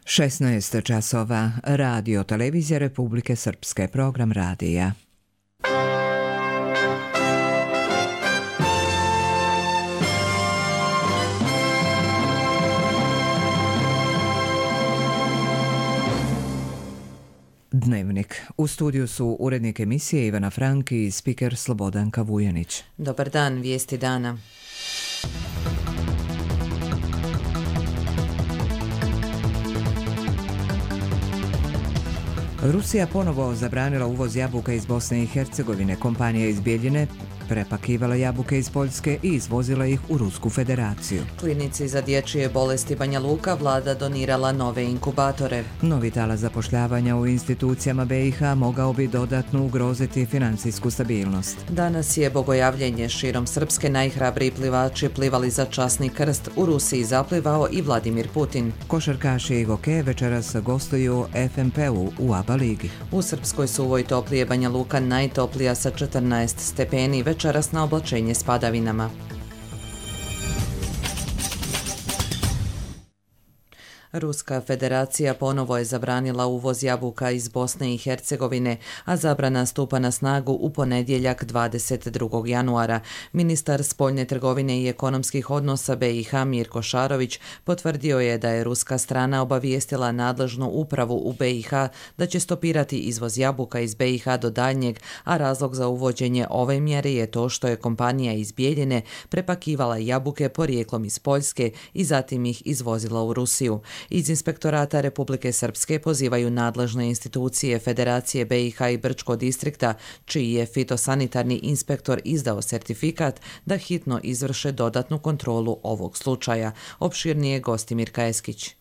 16 časova. Radio Televizija Republike Srpske. Program radija. Dnevnik. U studiju su urednik emisije Ivana Franki i spiker Slobodanka Vujanić. Dobar dan, vijesti dana. Rusija ponovo zabranila uvoz jabuka iz Bosne i Hercegovine. Kompanija iz Bijeljine prepakivala jabuke iz Poljske i izvozila ih u Rusku federaciju. Klinici za dječje bolesti Banja Luka vlada donirala nove inkubatore. Novi talas zapošljavanja u institucijama BiH mogao bi dodatno ugroziti financijsku stabilnost. Danas je bogojavljenje širom Srpske. Najhrabriji plivači plivali za časni krst. U Rusiji zaplivao i Vladimir Putin. Košarkaši i hokej večeras gostuju FNP-u u ABA ligi. U Srpskoj suvoj toplije Banja Luka najtoplija sa 14 stepeni. Večeras na oblačenje s padavinama. Ruska federacija ponovo je zabranila uvoz jabuka iz Bosne i Hercegovine, a zabrana stupa na snagu u ponedjeljak 22. januara. Ministar spoljne trgovine i ekonomskih odnosa BiH Mirko Šarović potvrdio je da je ruska strana obavijestila nadležnu upravu u BiH da će stopirati izvoz jabuka iz BiH do daljnjeg, a razlog za uvođenje ove mjere je to što je kompanija iz Bijeljine prepakivala jabuke porijeklom iz Poljske i zatim ih izvozila u Rusiju. Iz Inspektorata Republike Srpske pozivaju nadležne institucije Federacije BiH i Brčkog distrikta, čiji je fitosanitarni inspektor izdao sertifikat, da hitno izvrše dodatnu kontrolu ovog slučaja. Opširnije Gostimir Kajeskić.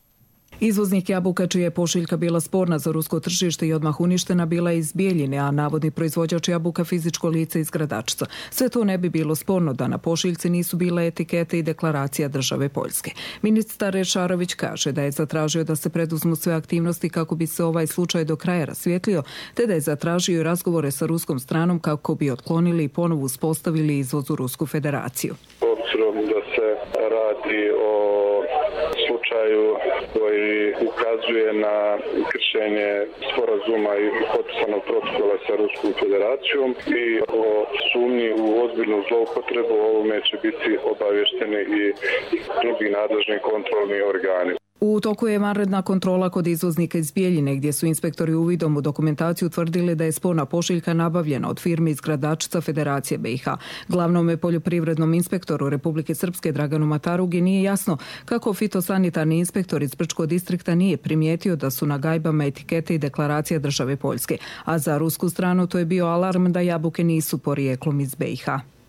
Izvoznik jabuka čija je pošiljka bila sporna za rusko tržište i odmah uništena bila iz Bijeljine, a navodni proizvođač jabuka fizičko lice iz Gradačca. Sve to ne bi bilo sporno da na pošiljci nisu bile etikete i deklaracija države Poljske. Ministar Šarović kaže da je zatražio da se preduzmu sve aktivnosti kako bi se ovaj slučaj do kraja rasvijetlio, te da je zatražio razgovore sa ruskom stranom kako bi otklonili i ponovo uspostavili izvoz u Rusku federaciju. Obzirom da se radi o slučaju koji ukazuje na kršenje sporazuma i potpisanog protokola sa Ruskom federacijom i o sumnji u ozbiljnu zloupotrebu, ovome će biti obavješteni i drugi nadležni kontrolni organi. U toku je vanredna kontrola kod izvoznika iz Bijeljine, gdje su inspektori uvidom u dokumentaciju utvrdili da je sporna pošiljka nabavljena od firme iz Gradačca Federacije BiH. Glavnome poljoprivrednom inspektoru Republike Srpske Draganu Matarugi nije jasno kako fitosanitarni inspektor iz Brčkog distrikta nije primijetio da su na gajbama etikete i deklaracija države Poljske, a za rusku stranu to je bio alarm da jabuke nisu porijeklom iz BiH.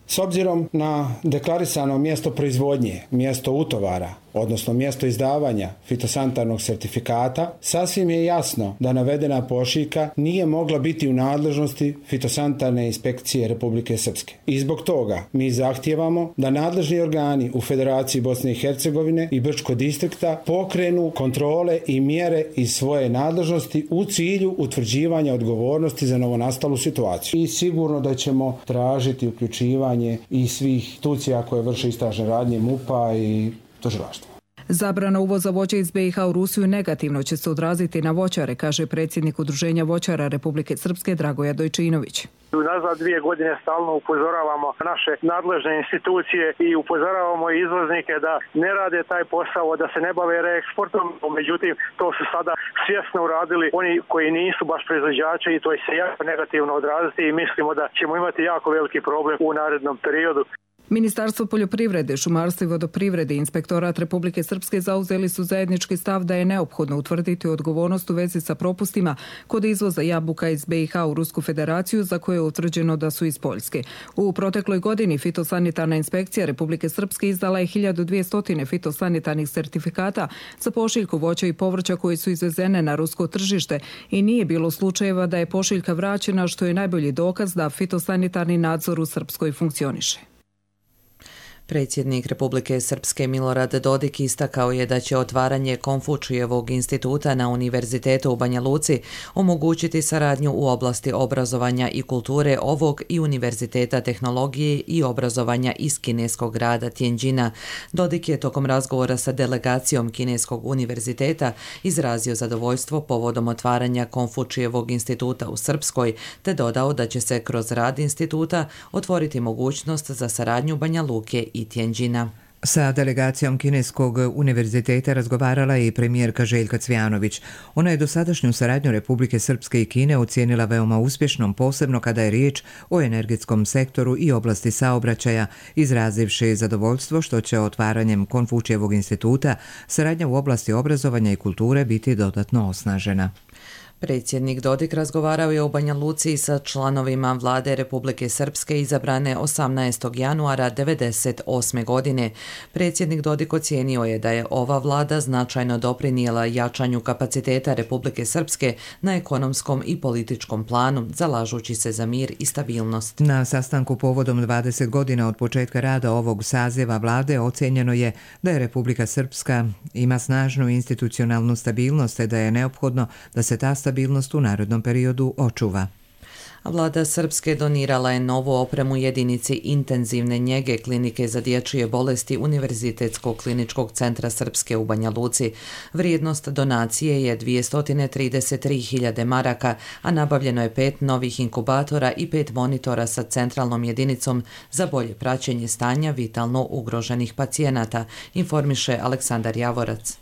S obzirom na deklarisano mjesto proizvodnje, mjesto utovara, odnosno mjesto izdavanja fitosanitarnog sertifikata, sasvim je jasno da navedena pošiljka nije mogla biti u nadležnosti fitosanitarne inspekcije Republike Srpske. I zbog toga mi zahtijevamo da nadležni organi u Federaciji Bosne i Hercegovine i Brčkog distrikta pokrenu kontrole i mjere iz svoje nadležnosti u cilju utvrđivanja odgovornosti za novonastalu situaciju. I sigurno da ćemo tražiti uključivanje i svih institucija koje vrše istražne radnje MUP-a i tužilaštva. Zabrana uvoza voća iz BiH u Rusiju negativno će se odraziti na voćare, kaže predsjednik Udruženja voćara Republike Srpske Dragoja Dojčinović. Nazad 2 godine stalno upozoravamo naše nadležne institucije i upozoravamo izvoznike da ne rade taj posao, da se ne bave reeksportom, međutim to su sada svjesno uradili oni koji nisu baš proizvođači i to će se jako negativno odraziti i mislimo da ćemo imati jako veliki problem u narednom periodu. Ministarstvo poljoprivrede, šumarstva i vodoprivrede i Inspektorat Republike Srpske zauzeli su zajednički stav da je neophodno utvrditi odgovornost u vezi sa propustima kod izvoza jabuka iz BiH u Rusku federaciju za koje je utvrđeno da su iz Poljske. U protekloj godini fitosanitarna inspekcija Republike Srpske izdala je 1200 fitosanitarnih sertifikata za pošiljku voća i povrća koji su izvezene na rusko tržište i nije bilo slučajeva da je pošiljka vraćena, što je najbolji dokaz da fitosanitarni nadzor u Srpskoj funkcioniše. Predsjednik Republike Srpske Milorad Dodik istakao je da će otvaranje Konfučijevog instituta na Univerzitetu u Banja Luci omogućiti saradnju u oblasti obrazovanja i kulture ovog i Univerziteta tehnologije i obrazovanja iz kineskog grada Tianjina. Dodik je tokom razgovora sa delegacijom Kineskog univerziteta izrazio zadovoljstvo povodom otvaranja Konfučijevog instituta u Srpskoj, te dodao da će se kroz rad instituta otvoriti mogućnost za saradnju Banja Luke i Tianjina. Sa delegacijom Kineskog univerziteta razgovarala je i premijerka Željka Cvijanović. Ona je dosadašnju saradnju Republike Srpske i Kine ocijenila veoma uspješnom, posebno kada je riječ o energetskom sektoru i oblasti saobraćaja, izrazivši zadovoljstvo što će otvaranjem Konfučijevog instituta saradnja u oblasti obrazovanja i kulture biti dodatno osnažena. Predsjednik Dodik razgovarao je u Banja Luci sa članovima vlade Republike Srpske izabrane 18. januara 1998. godine. Predsjednik Dodik ocijenio je da je ova vlada značajno doprinijela jačanju kapaciteta Republike Srpske na ekonomskom i političkom planu, zalažući se za mir i stabilnost. Na sastanku povodom 20 godina od početka rada ovog saziva vlade ocijenjeno je da je Republika Srpska ima snažnu institucionalnu stabilnost te da je neophodno da se ta stabilnost u narednom periodu očuva. Vlada Srpske donirala je novu opremu jedinici intenzivne njege Klinike za dječje bolesti Univerzitetskog kliničkog centra Srpske u Banja Luci. Vrijednost donacije je 233.000 maraka, a nabavljeno je 5 novih inkubatora i 5 monitora sa centralnom jedinicom za bolje praćenje stanja vitalno ugroženih pacijenata, informiše Aleksandar Javorac.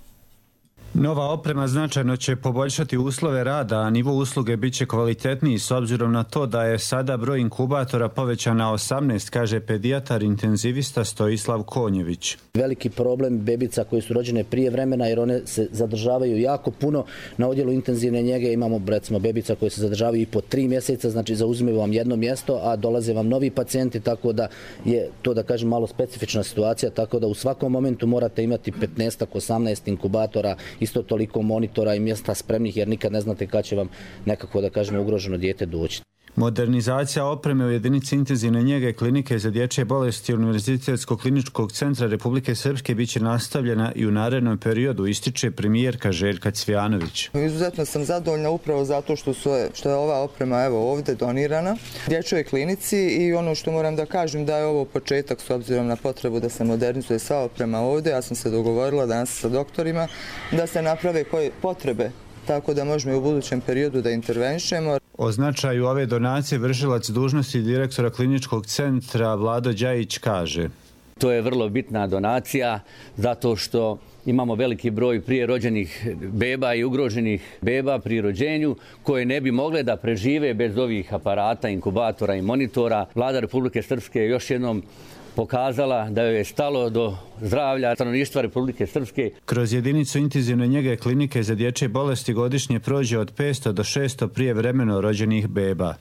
Nova oprema značajno će poboljšati uslove rada, a nivo usluge bit će kvalitetniji s obzirom na to da je sada broj inkubatora povećan na 18, kaže pedijatar intenzivista Stojislav Konjević. Veliki problem bebica koje su rođene prije vremena jer one se zadržavaju jako puno. Na odjelu intenzivne njege imamo recimo bebica koje se zadržavaju i po 3 mjeseca, znači zauzimaju vam jedno mjesto, a dolaze vam novi pacijenti, tako da je to, da kažem, malo specifična situacija, tako da u svakom momentu morate imati 15-18 inkubatora, isto toliko monitora i mjesta spremnih, jer nikad ne znate kad će vam nekako, da kažemo, ugroženo dijete doći. Modernizacija opreme u jedinici intenzivne njege Klinike za dječje bolesti Univerzitetskog kliničkog centra Republike Srpske bit će nastavljena i u narednom periodu, ističe premijerka Željka Cvijanović. Izuzetno sam zadovoljna upravo zato što je ova oprema ovdje donirana dječjoj klinici i ono što moram da kažem da je ovo početak s obzirom na potrebu da se modernizuje sva oprema ovdje. Ja sam se dogovorila danas sa doktorima da se naprave koje potrebe, tako da možemo i u budućem periodu da intervenišemo. O značaju ove donacije vršilac dužnosti direktora kliničkog centra Vlado Đajić kaže: To je vrlo bitna donacija zato što imamo veliki broj prije rođenih beba i ugroženih beba pri rođenju koje ne bi mogle da prežive bez ovih aparata, inkubatora i monitora. Vlada Republike Srpske je još jednom pokazala da joj je stalo do zdravlja stanovništva Republike Srpske. Kroz jedinicu intenzivne njege Klinike za dječje bolesti godišnje prođe od 500 do 600 prijevremeno rođenih beba.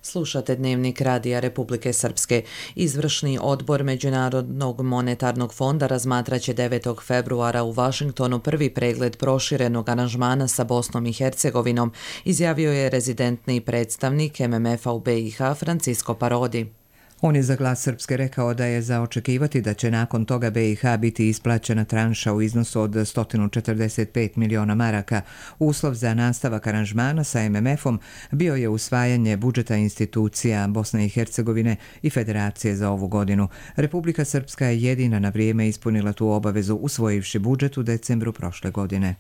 Slušate Dnevnik Radija Republike Srpske. Izvršni odbor Međunarodnog monetarnog fonda razmatraće 9. februara u Vašingtonu prvi pregled proširenog aranžmana sa Bosnom i Hercegovinom, izjavio je rezidentni predstavnik MMF-a u BiH Francisco Parodi. On je za Glas Srpske rekao da je za očekivati da će nakon toga BiH biti isplaćena tranša u iznosu od 145 miliona maraka. Uslov za nastavak aranžmana sa MMF-om bio je usvajanje budžeta institucija Bosne i Hercegovine i Federacije za ovu godinu. Republika Srpska je jedina na vrijeme ispunila tu obavezu usvojivši budžet u decembru prošle godine.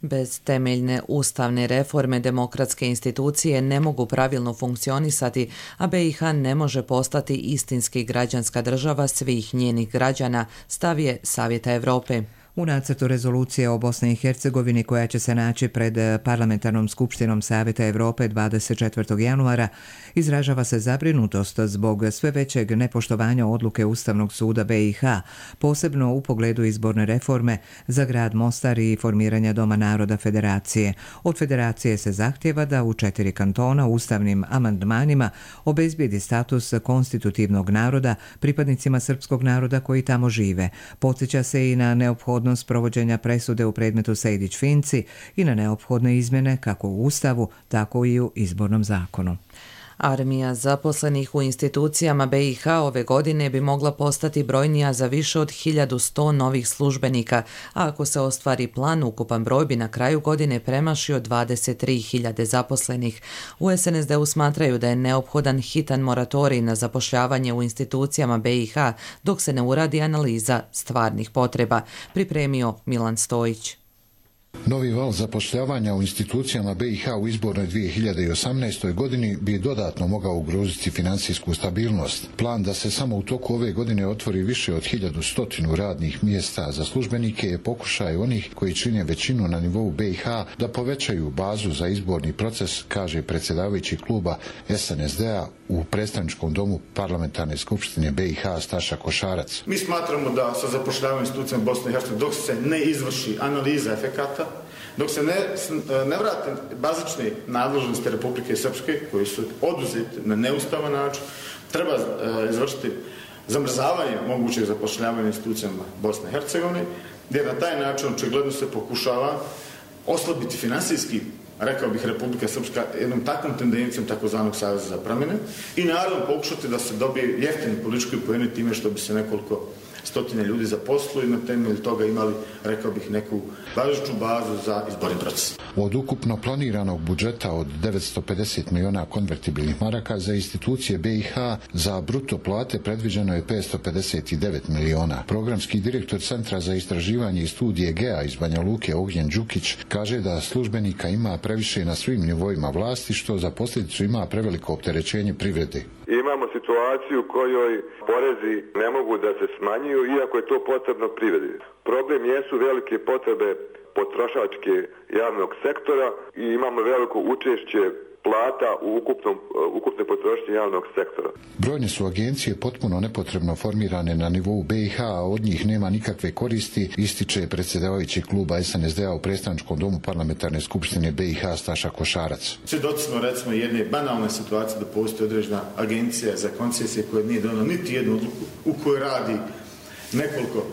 Bez temeljne ustavne reforme demokratske institucije ne mogu pravilno funkcionisati, a BiH ne može postati istinski građanska država svih njenih građana, stav je Savjeta Evrope. U nacrtu rezolucije o Bosni i Hercegovini koja će se naći pred Parlamentarnom skupštinom Savjeta Evrope 24. januara izražava se zabrinutost zbog sve većeg nepoštovanja odluke Ustavnog suda BiH, posebno u pogledu izborne reforme za grad Mostar i formiranja Doma naroda Federacije. Od Federacije se zahtjeva da u 4 kantona ustavnim amandmanima obezbijedi status konstitutivnog naroda pripadnicima srpskog naroda koji tamo žive. Podsjeća se i na neophodnost provođenja presude u predmetu Sejdić-Finci i na neophodne izmjene kako u Ustavu, tako i u izbornom zakonu. Armija zaposlenih u institucijama BiH ove godine bi mogla postati brojnija za više od 1100 novih službenika, a ako se ostvari plan, ukupan broj bi na kraju godine premašio 23.000 zaposlenih. U SNSD-u smatraju da je neophodan hitan moratorij na zapošljavanje u institucijama BiH dok se ne uradi analiza stvarnih potreba, pripremio Milan Stojić. Novi val zapošljavanja u institucijama BiH u izbornoj 2018. godini bi dodatno mogao ugroziti financijsku stabilnost. Plan da se samo u toku ove godine otvori više od 1100 radnih mjesta za službenike je pokušaj onih koji čine većinu na nivou BiH da povećaju bazu za izborni proces, kaže predsjedavajući kluba SNSD-a u predstavničkom domu Parlamentarne skupštine BiH Staša Košarac. Mi smatramo da sa zapošljavanjem institucijama Bosne i Hercegovine dok se ne izvrši analiza efekata, dok se ne vrate bazične nadležnosti Republike Srpske koji su oduzeti na neustavan način, treba izvršiti zamrzavanje mogućeg zapošljavanja institucijama Bosne i Hercegovine, jer na taj način očigledno se pokušava oslabiti finansijski, rekao bih, Republika Srpska jednom takvom tendencijom takozvanog saveza za promjene i naravno pokušati da se dobije jeftini politički poeni time što bi se nekoliko stotine ljudi zaposlili i na temelju toga imali, rekao bih, neku važeću bazu za izborni proces. Od ukupno planiranog budžeta od 950 miliona konvertibilnih maraka za institucije BiH za bruto plate predviđeno je 559 miliona. Programski direktor Centra za istraživanje i studije GEA iz Banja Luke Ognjen Đukić kaže da službenika ima previše na svim nivoima vlasti, što za posljedicu ima preveliko opterećenje privrede. Imamo situaciju u kojoj porezi ne mogu da se smanjuju iako je to potrebno privredi. Problem jesu velike potrebe potrošačke javnog sektora i imamo veliko učešće plata u ukupnoj potrošnji javnog sektora. Brojne su agencije potpuno nepotrebno formirane na nivou BiH, a od njih nema nikakve koristi, ističe predsjedavajući kluba SNSD-a u predstavničkom domu Parlamentarne skupštine BiH Staša Košarac. Svjedoci smo recimo jedne banalne situacije da postoji određena agencija za koncesije koja nije donijela niti jednu odluku u kojoj radi nekoliko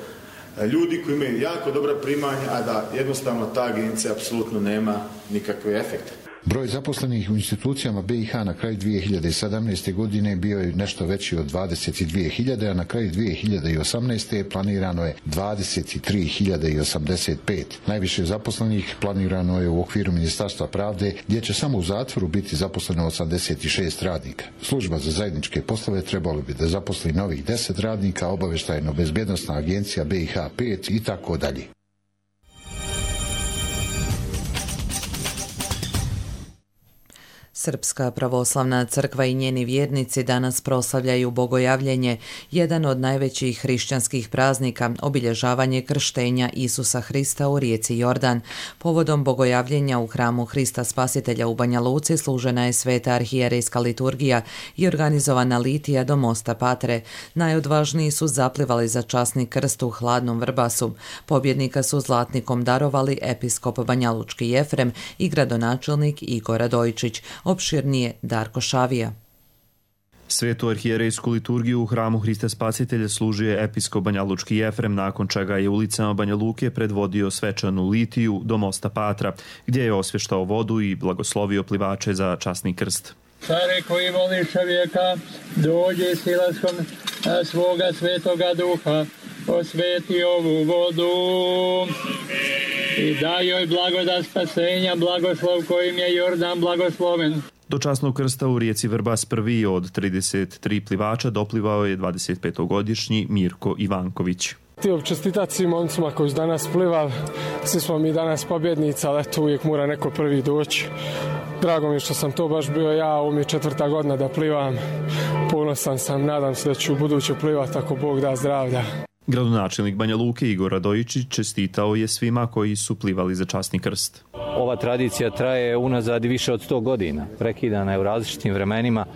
ljudi koji imaju jako dobra primanja, a da jednostavno ta agencija apsolutno nema nikakve efekte. Broj zaposlenih u institucijama BiH na kraju 2017. godine bio je nešto veći od 22.000, a na kraju 2018. planirano je 23.085. Najviše zaposlenih planirano je u okviru Ministarstva pravde, gdje će samo u zatvoru biti zaposleno 86 radnika. Služba za zajedničke poslove trebalo bi da zaposli novih 10 radnika, obavještajno-bezbjednosna agencija BiH 5 i tako dalje. Srpska pravoslavna crkva i njeni vjernici danas proslavljaju Bogojavljenje, jedan od najvećih hrišćanskih praznika, obilježavanje krštenja Isusa Hrista u rijeci Jordan. Povodom Bogojavljenja u hramu Hrista Spasitelja u Banja Luci služena je sveta arhijerejska liturgija i organizovana litija do mosta Patre. Najodvažniji su zaplivali za časni krst u Hladnom Vrbasu. Pobjednika su zlatnikom darovali episkop banjalučki Jefrem i gradonačelnik Igor Radojičić. Opširnije Darko Šavija. Svetu arhijerejsku liturgiju u hramu Hrista Spasitelja služio je episkop banjalučki Jefrem, nakon čega je ulicama Banja Luke predvodio svečanu litiju do mosta Patra, gdje je osvještao vodu i blagoslovio plivače za časni krst. Care koji voli čovjeka, dođe silaskom svoga svetoga duha, osveti ovu vodu i daj joj blagodat spasenja, blagoslov kojim je Jordan blagosloven. Do časnog krsta u rijeci Vrbas prvi od 33 plivača doplivao je 25-godišnji Mirko Ivanković. Htio bih čestitati svim momcima koji su danas plivali. Svi smo mi danas pobjednici, ali eto uvijek mora neko prvi doći. Drago mi je što sam to baš bio ja, ovo mi je 4. godina da plivam. Ponosan sam, nadam se da ću u buduće plivati ako Bog da zdravlja. Gradonačelnik Banja Luke Igor Radojičić čestitao je svima koji su plivali za časni krst. Ova tradicija traje unazad više od 100 godina. Prekidana je u različitim vremenima,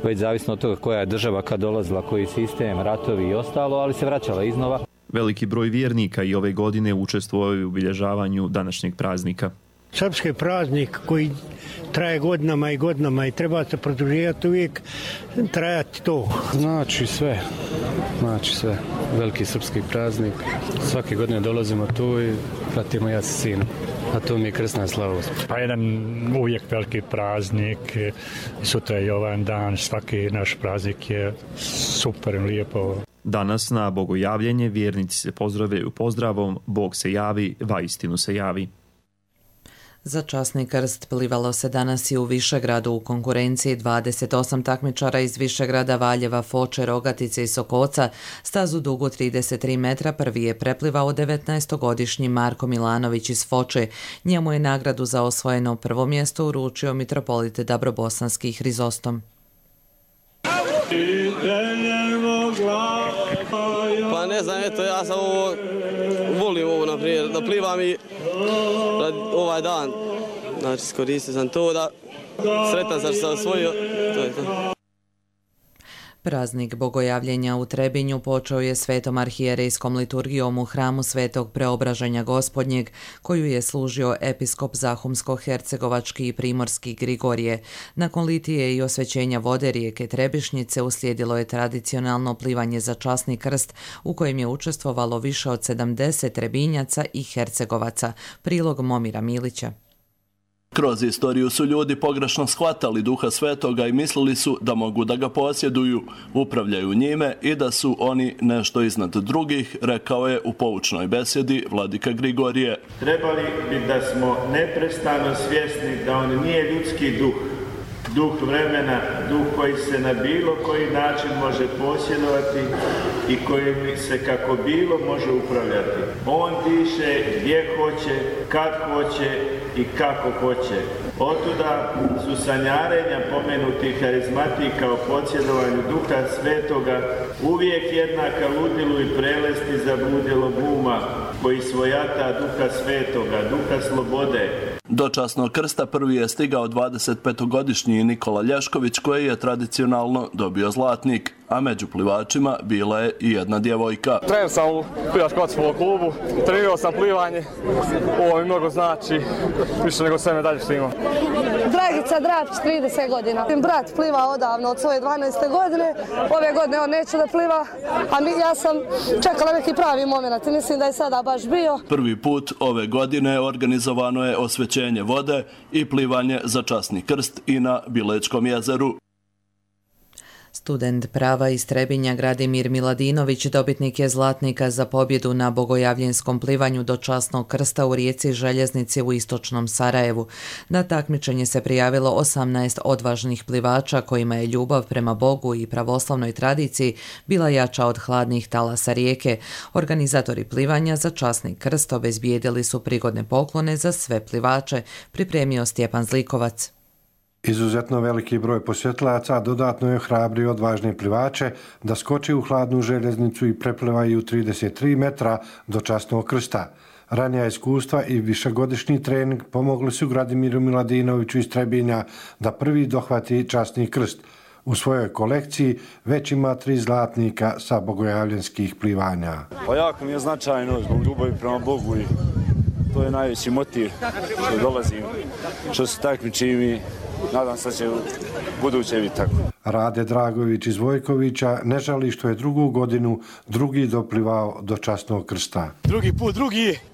već zavisno od toga koja je država kad dolazila, koji sistem, ratovi i ostalo, ali se vraćala iznova. Veliki broj vjernika i ove godine učestvovao u obilježavanju današnjeg praznika. Srpski praznik koji traje godinama i godinama i treba se produživati uvijek, trajati to. Znači sve. Veliki srpski praznik. Svake godine dolazimo tu i pratimo ja sa sinom. a to mi je krsna slavost. Pa jedan uvijek veliki praznik, sutra je Jovan dan, svaki naš praznik je super, lijepo. Danas na bogojavljenje vjernici se pozdravljaju pozdravom Bog se javi, vaistinu se javi. Za časni krst plivalo se danas i u Višegradu u konkurenciji 28 takmičara iz Višegrada, Valjeva, Foče, Rogatice i Sokoca. Stazu dugu 33 metra prvi je preplivao 19-godišnji Marko Milanović iz Foče. Njemu je nagradu za osvojeno prvo mjesto uručio mitropolit Dabrobosanski Hrizostom. Pa ne znam, eto, ja sam volim ovo naprijed, da plivam i ovaj dan, znači iskoristio sam to da sretan sam što sam osvojio, to je to. Praznik bogojavljenja u Trebinju počeo je svetom arhijerejskom liturgijom u hramu Svetog Preobraženja Gospodnjeg, koju je služio episkop Zahumsko-hercegovački i primorski Grigorije. Nakon litije i osvećenja vode rijeke Trebišnjice uslijedilo je tradicionalno plivanje za časni krst, u kojem je učestvovalo više od 70 Trebinjaca i Hercegovaca. Prilog Momira Milića. Kroz istoriju su ljudi pogrešno shvatali Duha Svetoga i mislili su da mogu da ga posjeduju, upravljaju njime i da su oni nešto iznad drugih, rekao je u poučnoj besjedi vladika Grigorije. Trebali bi da smo neprestano svjesni da on nije ljudski duh, duh vremena, duh koji se na bilo koji način može posjedovati i kojim se kako bilo može upravljati. On diše gdje hoće, kad hoće i kako hoće. Otuda su sanjarenja pomenutih harizmatika o posjedovanju Duha Svetoga uvijek jednaka ludilu i prelesti zabludjelog uma koji svojata Duha Svetoga, Duha slobode. Do časnog krsta prvi je stigao 25-godišnji Nikola Lješković koji je tradicionalno dobio zlatnik, a među plivačima bila je i jedna djevojka. Trener sam u plivačko-vaterpolo klubu, trenirao sam plivanje, ovo mi mnogo znači, više nego sve medalje što imam. Dragica Drapić, 30 godina. Brat pliva odavno od svoje 12. godine, ove godine on neće da pliva, a ja sam čekala neki pravi moment i mislim da je sada baš bio. Prvi put ove godine organizovano je osvećenje vode i plivanje za časni krst i na Bilečkom jezeru. Student prava iz Trebinja Gradimir Miladinović dobitnik je zlatnika za pobjedu na bogojavljenskom plivanju do časnog krsta u rijeci Željeznici u istočnom Sarajevu. Na takmičenje se prijavilo 18 odvažnih plivača kojima je ljubav prema Bogu i pravoslavnoj tradiciji bila jača od hladnih talasa rijeke. Organizatori plivanja za časni krst obezbijedili su prigodne poklone za sve plivače, pripremio Stjepan Zlikovac. Izuzetno veliki broj posjetlaca dodatno je hrabrio odvažne plivače da skoče u hladnu željeznicu i preplivaju 33 metra do časnog krsta. Ranija iskustva i višegodišnji trening pomogli su Gradimiru Miladinoviću iz Trebinja da prvi dohvati časni krst. U svojoj kolekciji već ima 3 zlatnika sa bogojavljenskih plivanja. Pa jako mi je značajno zbog ljubavi prema Bogu i to je najveći motiv što dolazim, što se takmičim i nadam se da će u buduće biti tako. Rade Dragović iz Vojkovića ne žali što je drugu godinu drugi doplivao do časnog krsta. Drugi put,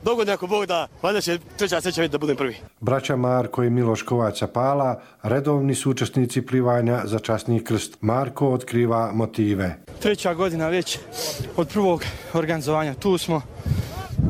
dogodne ako Bog da, valjda će treća sreća biti da budem prvi. Braća Marko i Miloš Kovača Pala redovni su učesnici plivanja za časni krst. Marko otkriva motive. 3. godina već od prvog organizovanja tu smo.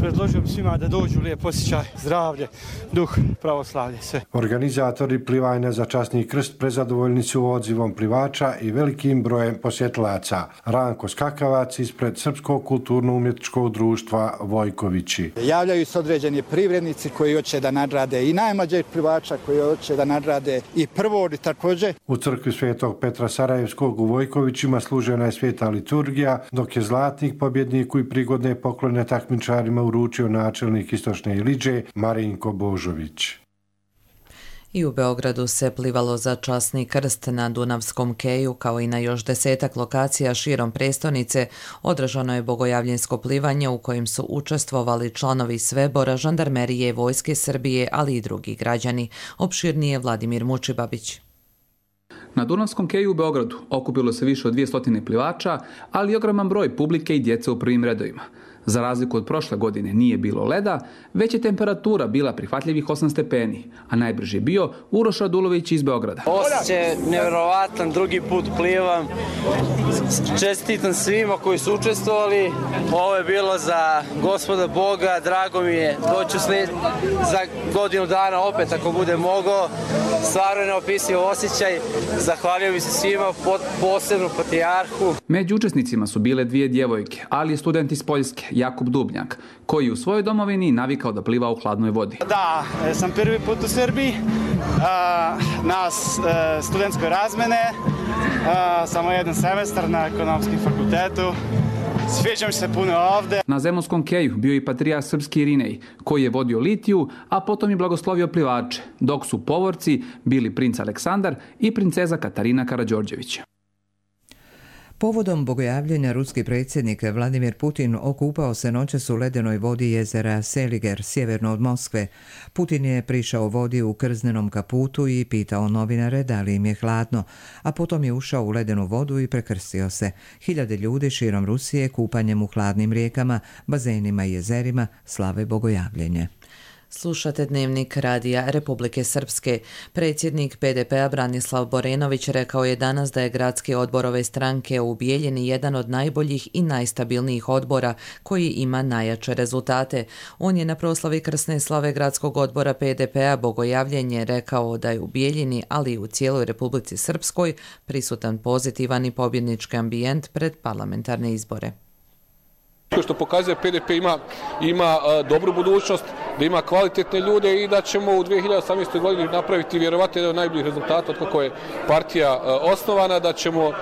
Predložio bi svima da dođu, lijep osjećaj, zdravlje, duh, pravoslavlje, sve. Organizatori plivanja za časni krst prezadovoljni su odzivom plivača i velikim brojem posjetilaca. Ranko Skakavac ispred Srpskog kulturno-umjetničkog društva Vojkovići. Javljaju se određeni privrednici koji hoće da nadrade i najmlađeg plivača koji hoće da nadrade i prvog također. U crkvi Svetog Petra Sarajevskog u Vojkovićima služena je sveta liturgija, dok je zlatnik pobjedniku i prigodne poklone takmičarima uručio načelnik Istočne Iliđe Marinko Božović. I u Beogradu se plivalo za časni krst na Dunavskom keju, kao i na još 10 lokacija širom prestonice. Održano je bogojavljensko plivanje u kojem su učestvovali članovi Svebora, žandarmerije, Vojske Srbije, ali i drugi građani. Opširnije Vladimir Mučibabić. Na Dunavskom keju u Beogradu okupilo se više od 200 plivača, ali i ogroman broj publike i djece u prvim redovima. Za razliku od prošle godine nije bilo leda, već je temperatura bila prihvatljivih 8 stepeni, a najbrži je bio Uroš Radulović iz Beograda. Osjećaj je nevjerovatan, drugi put plivam. Čestitam svima koji su učestvovali. Ovo je bilo za Gospoda Boga, drago mi je. Doću za godinu dana opet ako bude mogao. Stvarno je neopisiv osjećaj. Zahvaljujem bi se svima, posebno patrijarhu. Među učesnicima su bile 2 djevojke, ali i student iz Poljske, Jakub Dubnjak, koji u svojoj domovini navikao da pliva u hladnoj vodi. Da, sam prvi put u Srbiji, na studentskoj razmene, samo jedan semestar na ekonomskom fakultetu. Sviđa mi se puno ovde. Na Zemunskom keju bio i patrijarh srpski Irinej, koji je vodio litiju, a potom i blagoslovio plivače, dok su povorci bili princ Aleksandar i princeza Katarina Karađorđević. Povodom bogojavljenja ruski predsjednik Vladimir Putin okupao se noćas u ledenoj vodi jezera Seliger, sjeverno od Moskve. Putin je prišao vodi u krznenom kaputu i pitao novinare da li im je hladno, a potom je ušao u ledenu vodu i prekrstio se. Hiljade ljudi širom Rusije kupanjem u hladnim rijekama, bazenima i jezerima slave bogojavljenje. Slušate Dnevnik radija Republike Srpske. Predsjednik PDP-a Branislav Borenović rekao je danas da je gradski odbor ove stranke u Bijeljini jedan od najboljih i najstabilnijih odbora koji ima najjače rezultate. On je na proslavi krsne slave gradskog odbora PDP-a Bogojavljenje rekao da je u Bijeljini, ali i u cijeloj Republici Srpskoj, prisutan pozitivan i pobjednički ambijent pred parlamentarne izbore. Što pokazuje PDP ima dobru budućnost, da ima kvalitetne ljude i da ćemo u 2018. godini napraviti vjerovatno jedan od najboljih rezultata od kako je partija osnovana, da ćemo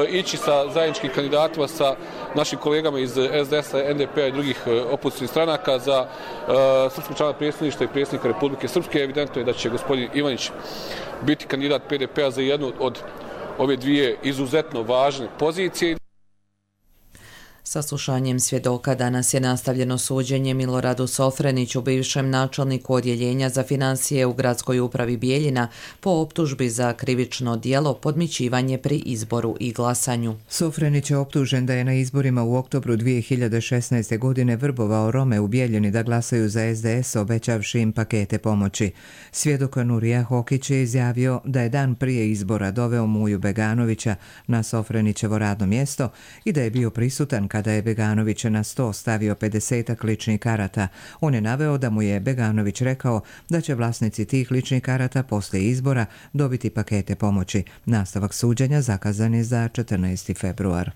ići sa zajedničkim kandidatima sa našim kolegama iz SDS-a, NDP-a i drugih opozicijskih stranaka za srpskog člana predsjedništva i predsjednika Republike Srpske. Evidentno je da će gospodin Ivanić biti kandidat PDP-a za jednu od ove dvije izuzetno važne pozicije. Saslušanjem svjedoka danas je nastavljeno suđenje Miloradu Sofreniću, bivšem načelniku odjeljenja za financije u gradskoj upravi Bijeljina, po optužbi za krivično djelo podmićivanje pri izboru i glasanju. Sofrenić je optužen da je na izborima u oktobru 2016. godine vrbovao Rome u Bijeljini da glasaju za SDS, obećavši im pakete pomoći. Svjedok Nurija Hokić je izjavio da je dan prije izbora doveo Muju Beganovića na Sofrenićevo radno mjesto i da je bio prisutan kada je Beganović na sto stavio 50 ličnih karata. On je naveo da mu je Beganović rekao da će vlasnici tih ličnih karata poslije izbora dobiti pakete pomoći. Nastavak suđenja zakazan je za 14. februar.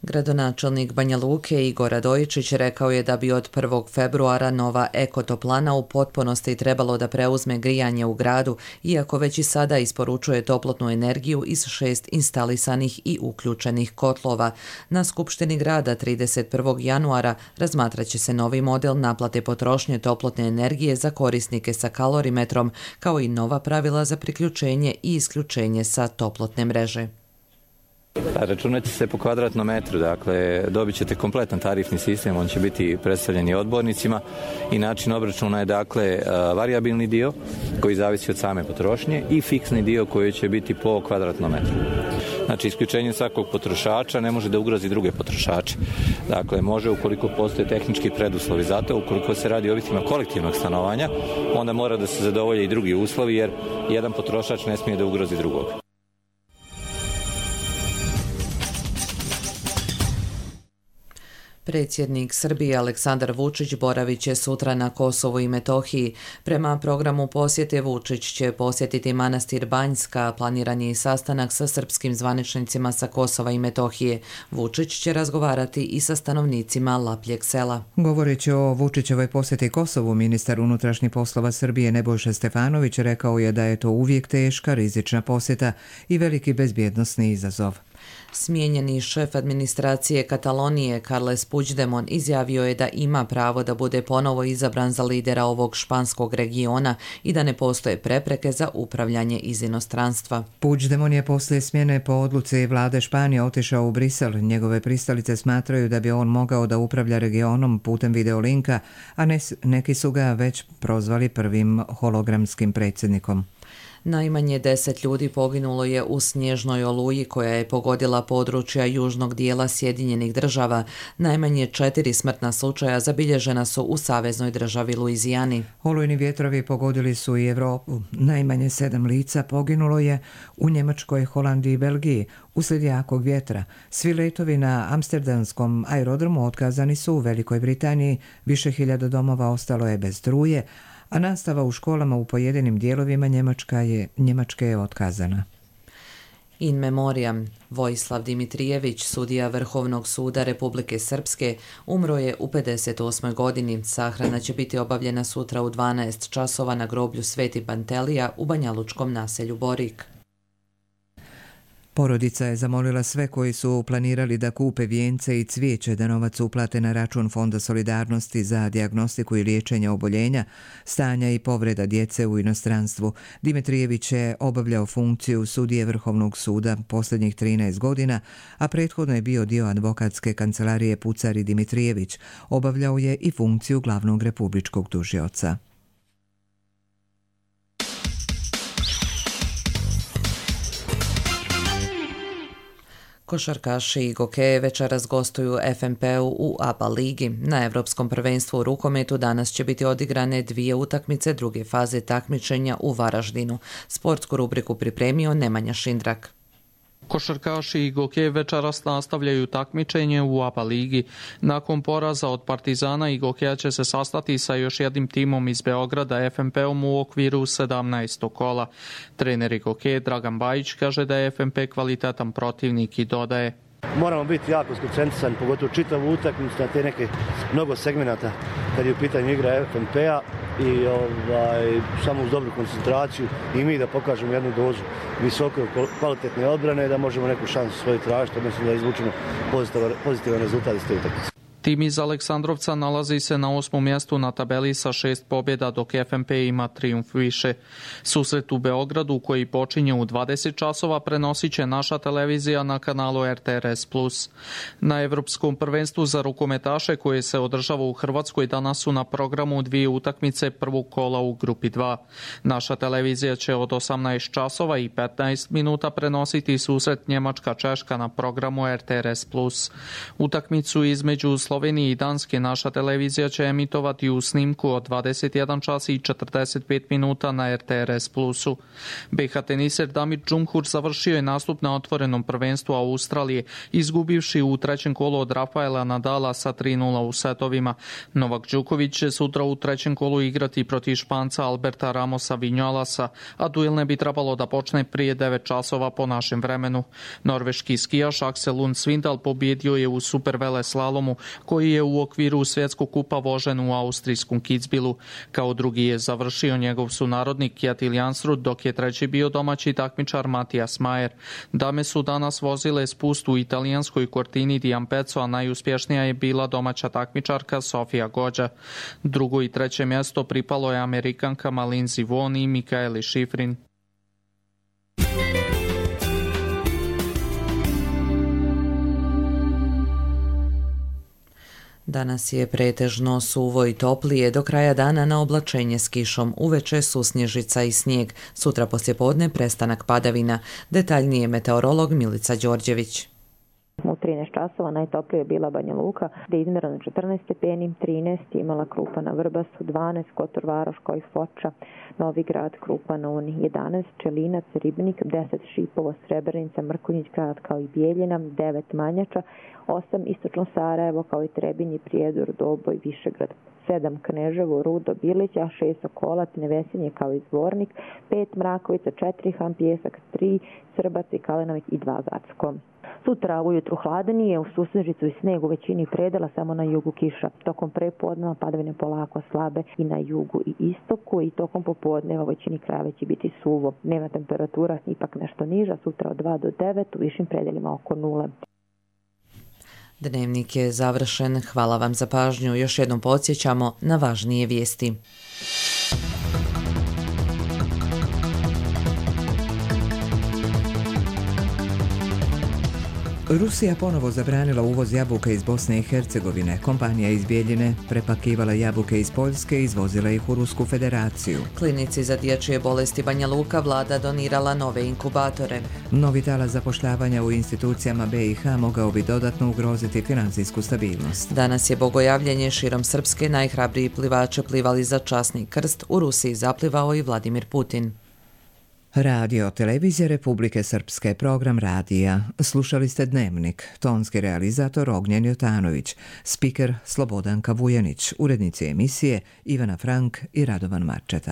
Gradonačelnik Banja Luke Igor Radojičić rekao je da bi od 1. februara nova ekotoplana u potpunosti trebalo da preuzme grijanje u gradu, iako već i sada isporučuje toplotnu energiju iz 6 instalisanih i uključenih kotlova. Na Skupštini grada 31. januara razmatraće se novi model naplate potrošnje toplotne energije za korisnike sa kalorimetrom, kao i nova pravila za priključenje i isključenje sa toplotne mreže. Računat će se po kvadratnom metru, dakle dobit ćete kompletan tarifni sistem, on će biti predstavljen i odbornicima i način obračuna je dakle varijabilni dio koji zavisi od same potrošnje i fiksni dio koji će biti po kvadratnom metru. Znači isključenje svakog potrošača ne može da ugrozi druge potrošače. Dakle, može ukoliko postoje tehnički preduslovi za to, ukoliko se radi o objektima kolektivnog stanovanja, onda mora da se zadovolje i drugi uslovi jer jedan potrošač ne smije da ugrozi drugog. Predsjednik Srbije Aleksandar Vučić boravit će sutra na Kosovu i Metohiji. Prema programu posjete Vučić će posjetiti manastir Banjska, planiran je i sastanak sa srpskim zvaničnicima sa Kosova i Metohije. Vučić će razgovarati i sa stanovnicima Lapljeg sela. Govoreći o Vučićevoj posjeti Kosovu, ministar unutrašnjih poslova Srbije Nebojša Stefanović rekao je da je to uvijek teška, rizična posjeta i veliki bezbjednosni izazov. Smijenjeni šef administracije Katalonije Carles Puigdemont izjavio je da ima pravo da bude ponovo izabran za lidera ovog španskog regiona i da ne postoje prepreke za upravljanje iz inostranstva. Puigdemont je poslije smjene po odluci vlade Španije otišao u Brisel. Njegove pristalice smatraju da bi on mogao da upravlja regionom putem videolinka, a neki su ga već prozvali prvim hologramskim predsjednikom. Najmanje 10 ljudi poginulo je u snježnoj oluji koja je pogodila područja južnog dijela Sjedinjenih Država. Najmanje 4 smrtna slučaja zabilježena su u saveznoj državi Luizijani. Olujni vjetrovi pogodili su i Evropu. Najmanje 7 lica poginulo je u Njemačkoj, Holandiji i Belgiji uslijed jakog vjetra. Svi letovi na amsterdamskom aerodromu otkazani su. U Velikoj Britaniji više hiljada domova ostalo je bez struje, a nastava u školama u pojedinim dijelovima Njemačke je otkazana. In memoriam, Vojislav Dimitrijević, sudija Vrhovnog suda Republike Srpske, umro je u 58. godini. Sahrana će biti obavljena sutra u 12 časova na groblju Sveti Pantelija u banjalučkom naselju Borik. Porodica je zamolila sve koji su planirali da kupe vijence i cvijeće da novac uplate na račun Fonda solidarnosti za dijagnostiku i liječenje oboljenja, stanja i povreda djece u inostranstvu. Dimitrijević je obavljao funkciju sudije Vrhovnog suda posljednjih 13 godina, a prethodno je bio dio advokatske kancelarije Pucar i Dimitrijević. Obavljao je i funkciju glavnog republičkog tužioca. Košarkaši i gokeje večeras gostuju FNP-u u ABA ligi. Na Evropskom prvenstvu u rukometu danas će biti odigrane 2 utakmice druge faze takmičenja u Varaždinu. Sportsku rubriku pripremio Nemanja Šindrak. Košarkaši i gokeji večeras nastavljaju takmičenje u ABA ligi. Nakon poraza od Partizana i gokeja će se sastati sa još jednim timom iz Beograda, FNP-om u okviru 17. kola. Trener i gokej Dragan Bajić kaže da je FNP kvalitetan protivnik i dodaje: moramo biti jako skoncentrisani, pogotovo čitavu utakmicu na te neke mnogo segmenata kad je u pitanju igra FNP-a i samo uz dobru koncentraciju i mi da pokažemo jednu dozu visoko kvalitetne odbrane da možemo neku šansu svoju tražiti, odnosno da izvučemo pozitivan rezultat iz te utakmice. Tim iz Aleksandrovca nalazi se na 8. mjestu na tabeli sa 6 pobjeda, dok FNP ima trijumf više. Susret u Beogradu, koji počinje u 20 časova, prenosit će naša televizija na kanalu RTRS+. Na Evropskom prvenstvu za rukometaše, koje se održava u Hrvatskoj, danas su na programu 2 utakmice prvog kola u grupi 2. Naša televizija će od 18 časova i 15 minuta prenositi susret Njemačka-Češka na programu RTRS+. Utakmicu između Slovenije i Danske naša televizija će emitovati u snimku od 21 čas i 45 minuta na RTRS Plusu. BH teniser Damir Džumhur završio je nastup na otvorenom prvenstvu Australije, izgubivši u trećem kolu od Rafaela Nadala sa 3:0 u setovima. Novak Đoković će sutra u trećem kolu igrati protiv Španca Alberta Ramosa Vinjalasa, a duel ne bi trebalo da počne prije 9 časova po našem vremenu. Norveški skijaš Aksel Lund Svindal pobjedio je u supervele slalomu, koji je u okviru svjetskog kupa vožen u austrijskom Kitzbühelu. Kao drugi je završio njegov sunarodnik Kjetil Jansrud, dok je treći bio domaći takmičar Matijas Majer. Dame su danas vozile spust u italijanskoj Cortini di Ampezzo, a najuspješnija je bila domaća takmičarka Sofia Gođa. Drugo i treće mjesto pripalo je Amerikankama Lindsey Vonn i Mikaeli Šifrin. Danas je pretežno suvo i toplije, do kraja dana na oblačenje s kišom, uveče susnježica i snijeg, sutra poslijepodne prestanak padavina. Detaljnije meteorolog Milica Đorđević. U 13 časova najtoplije je bila Banja Luka, gdje je izmjereno 14 stepeni, 13 imala Krupa na Vrbasu, 12 Kotor Varoš kao i Foča, Novi Grad, Krupa na Uni, 11 Čelinac, Ribnik, 10 Šipovo, Srebrenica, Mrkonjić Grad kao i Bijeljina, 9 Manjača, 8 Istočno Sarajevo kao i Trebinje, Prijedor, Doboj, Višegrad, 7 Kneževo, Rudo, Bilića, 6 Okolac, Nevesinje kao i Zvornik, 5 Mrakovica, 4 Han Pjesak, 3 Srbac i Kalenovik i 2 Gacko. Sutra ujutru hladenije, u susnežicu i sneg u većini predela, samo na jugu kiša. Tokom prepodneva padavine polako slabe i na jugu i istoku i tokom popodneva u većini krajeva će biti suvo. Dnevna temperatura ipak nešto niža, sutra od 2 do 9, u višim predelima oko 0. Dnevnik je završen. Hvala vam za pažnju. Još jednom podsjećamo na važnije vijesti. Rusija ponovo zabranila uvoz jabuka iz Bosne i Hercegovine. Kompanija iz Bijeljine prepakivala jabuke iz Poljske i izvozila ih u Rusku federaciju. Klinici za dječje bolesti Banja Luka vlada donirala nove inkubatore. Novi talas zapošljavanja u institucijama BiH mogao bi dodatno ugroziti financijsku stabilnost. Danas je bogojavljenje širom Srpske, najhrabriji plivače plivali za časni krst, u Rusiji zaplivao i Vladimir Putin. Radio Televizija Republike Srpske, program radija. Slušali ste Dnevnik, tonski realizator Ognjen Jotanović, spiker Slobodanka Vujanić, urednici emisije Ivana Frank i Radovan Marčeta.